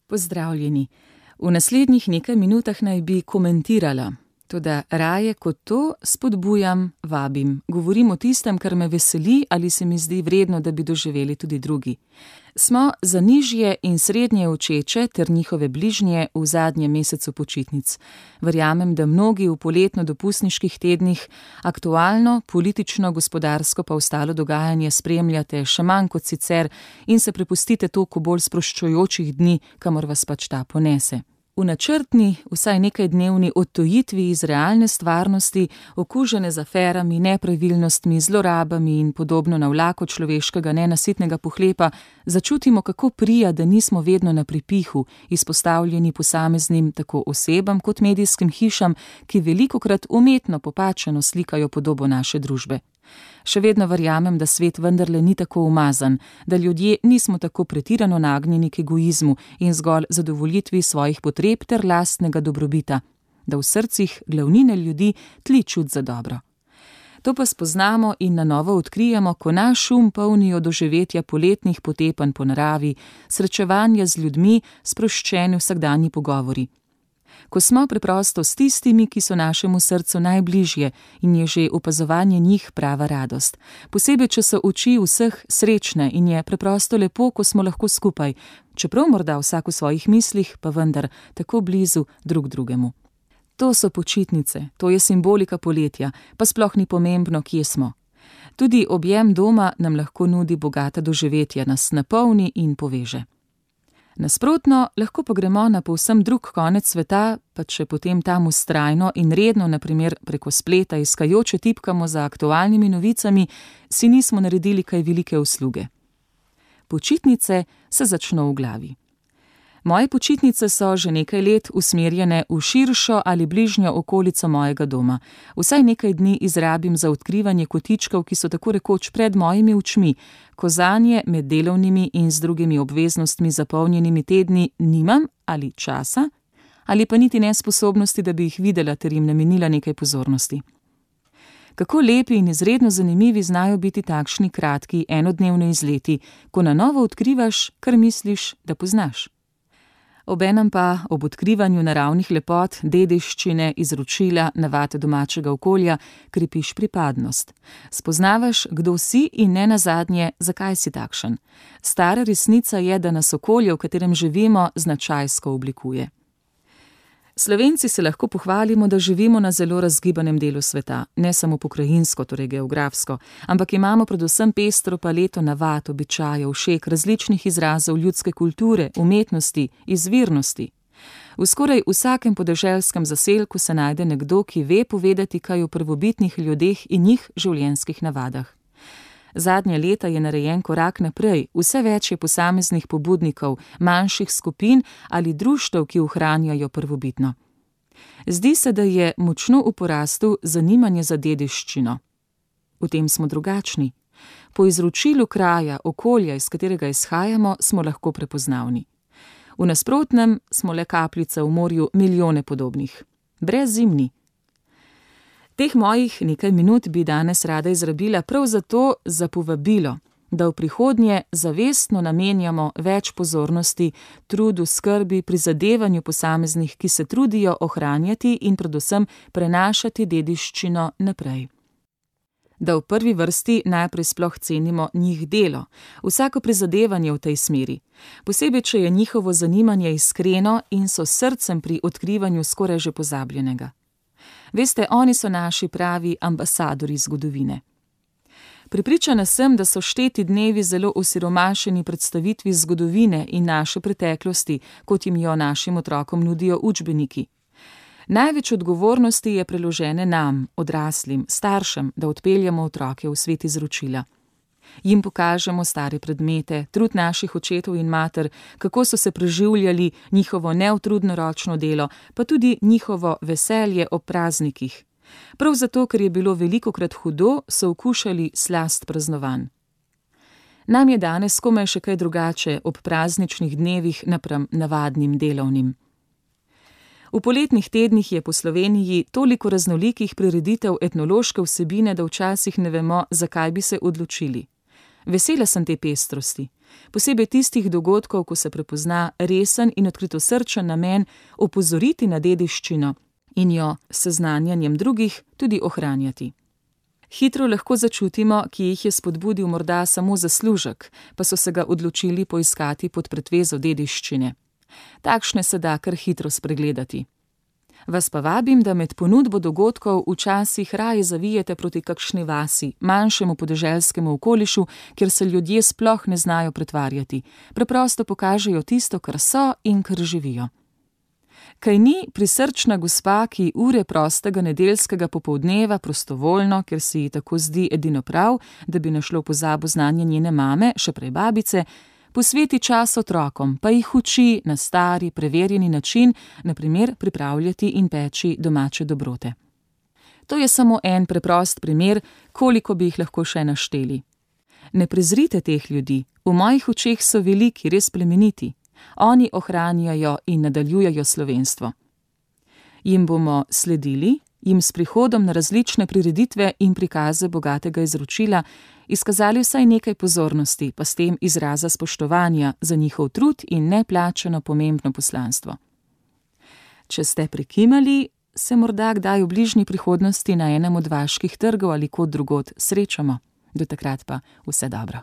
Pozdravljeni. V naslednjih nekaj minutah naj bi komentirala, toda raje kot to spodbujam, vabim, govorim o tistem, kar me veseli ali se mi zdi vredno, da bi doživeli tudi drugi. Smo za nižje in srednje učeče ter njihove bližnje v zadnjem mesecu počitnic. Verjamem, da mnogi v poletno-dopustniških tednih aktualno, politično, gospodarsko pa ostalo dogajanje spremljate še manj kot sicer in se prepustite toliko bolj sproščujočih dni, kamor vas pač ta ponese. V načrtni, vsaj nekajdnevni odtujitvi iz realne stvarnosti, okužene z aferami, nepravilnostmi, zlorabami in podobno navlako človeškega nenasitnega pohlepa, začutimo, kako prija, da nismo vedno na pripihu, izpostavljeni posameznim tako osebam kot medijskim hišam, ki velikokrat umetno popačeno slikajo podobo naše družbe. Še vedno verjamem, da svet vendarle ni tako umazan, da ljudje nismo tako pretirano nagnjeni k egoizmu in zgolj zadovoljitvi svojih potreb ter lastnega dobrobita, da v srcih glavnine ljudi tli čut za dobro. To pa spoznamo in na novo odkrijemo, ko naš polnijo doživetja poletnih potepanj po naravi, srečevanja z ljudmi, sproščeni vsakdanji pogovori. Ko smo preprosto s tistimi, ki so našemu srcu najbližje in je že opazovanje njih prava radost. Posebej, če so oči vseh srečne in je preprosto lepo, ko smo lahko skupaj, čeprav morda vsak v svojih mislih, pa vendar tako blizu drug drugemu. To so počitnice, to je simbolika poletja, pa sploh ni pomembno, kje smo. Tudi objem doma nam lahko nudi bogata doživetja, nas napolni in poveže. Nasprotno, lahko pa gremo na povsem drug konec sveta, pa če potem tam vztrajno in redno, na primer preko spleta, iskajoče tipkamo za aktualnimi novicami, si nismo naredili kaj velike usluge. Počitnice se začno v glavi. Moje počitnice so že nekaj let usmerjene v širšo ali bližnjo okolico mojega doma. Vsaj nekaj dni izrabim za odkrivanje kotičkov, ki so tako rekoč pred mojimi očmi, ko zanje med delovnimi in z drugimi obveznostmi zapolnjenimi tedni nimam ali časa, ali pa niti nesposobnosti, da bi jih videla ter jim namenila nekaj pozornosti. Kako lepi in izredno zanimivi znajo biti takšni kratki enodnevni izleti, ko na novo odkrivaš, kar misliš, da poznaš. Obenem pa ob odkrivanju naravnih lepot, dediščine, izročila, navad domačega okolja, krepiš pripadnost. Spoznavaš, kdo si in ne nazadnje, zakaj si takšen. Stara resnica je, da nas okolje, v katerem živimo, značajsko oblikuje. Slovenci se lahko pohvalimo, da živimo na zelo razgibanem delu sveta, ne samo pokrajinsko, torej geografsko, ampak imamo predvsem pestro paleto navad, običajev, všek, različnih izrazov ljudske kulture, umetnosti, izvirnosti. V skoraj vsakem podeželskem zaselku se najde nekdo, ki ve povedati kaj o prvobitnih ljudeh in njih življenjskih navadah. Zadnja leta je narejen korak naprej, vse več je posameznih pobudnikov, manjših skupin ali društev, ki ohranjajo prvobitno. Zdi se, da je močno v porastu zanimanje za dediščino. V tem smo drugačni. Po izročilu kraja, okolja, iz katerega izhajamo, smo lahko prepoznavni. V nasprotnem smo le kapljica v morju milijone podobnih. Brezzimni. Teh mojih nekaj minut bi danes rada izrabila prav zato za povabilo, da v prihodnje zavestno namenjamo več pozornosti, trudu, skrbi, prizadevanju posameznih, ki se trudijo ohranjati in predvsem prenašati dediščino naprej. Da v prvi vrsti najprej sploh cenimo njih delo, vsako prizadevanje v tej smeri, posebej, če je njihovo zanimanje iskreno in so srcem pri odkrivanju skoraj že pozabljenega. Veste, oni so naši pravi ambasadorji zgodovine. Prepričana sem, da so šteti dnevi zelo osiromašeni predstavitvi zgodovine in naše preteklosti, kot jim jo našim otrokom nudijo učbeniki. Največ odgovornosti je preložene nam, odraslim, staršem, da odpeljemo otroke v svet izročila. Jim pokažemo stare predmete, trud naših očetov in mater, kako so se preživljali, njihovo neutrudno ročno delo, pa tudi njihovo veselje ob praznikih. Prav zato, ker je bilo velikokrat hudo, so okušali slast praznovanj. Nam je danes komaj še kaj drugače ob prazničnih dnevih napram navadnim delovnim. V poletnih tednih je po Sloveniji toliko raznolikih prireditev etnološke vsebine, da včasih ne vemo, zakaj bi se odločili. Vesela sem te pestrosti. Posebej tistih dogodkov, ko se prepozna resen in odkritosrčen namen opozoriti na dediščino in jo s seznanjanjem drugih tudi ohranjati. Hitro lahko začutimo, ki jih je spodbudil morda samo zaslužek, pa so se ga odločili poiskati pod pretvezo dediščine. Takšne se da kar hitro spregledati. Vas pa vabim, da med ponudbo dogodkov včasih raje zavijete proti kakšni vasi, manjšemu podeželskemu okolišu, kjer se ljudje sploh ne znajo pretvarjati, preprosto pokažejo tisto, kar so in kar živijo. Kaj ni prisrčna gospa, ki ure prostega nedeljskega popoldneva prostovoljno, ker se ji tako zdi edino prav, da bi našlo pozabo znanje njene mame, še prej babice, posveti čas otrokom, pa jih uči na stari, preverjeni način, na primer pripravljati in peči domače dobrote. To je samo en preprost primer, koliko bi jih lahko še našteli. Ne prezrite teh ljudi, v mojih očeh so veliki, res plemeniti. Oni ohranjajo in nadaljujejo slovenstvo. Jim bomo sledili, jim s prihodom na različne prireditve in prikaze bogatega izročila izkazali vsaj nekaj pozornosti, pa s tem izraza spoštovanja za njihov trud in neplačano pomembno poslanstvo. Če ste prikimali, se morda kdaj v bližnji prihodnosti na enem od vaških trgov ali kod drugod srečamo. Do takrat pa vse dobro.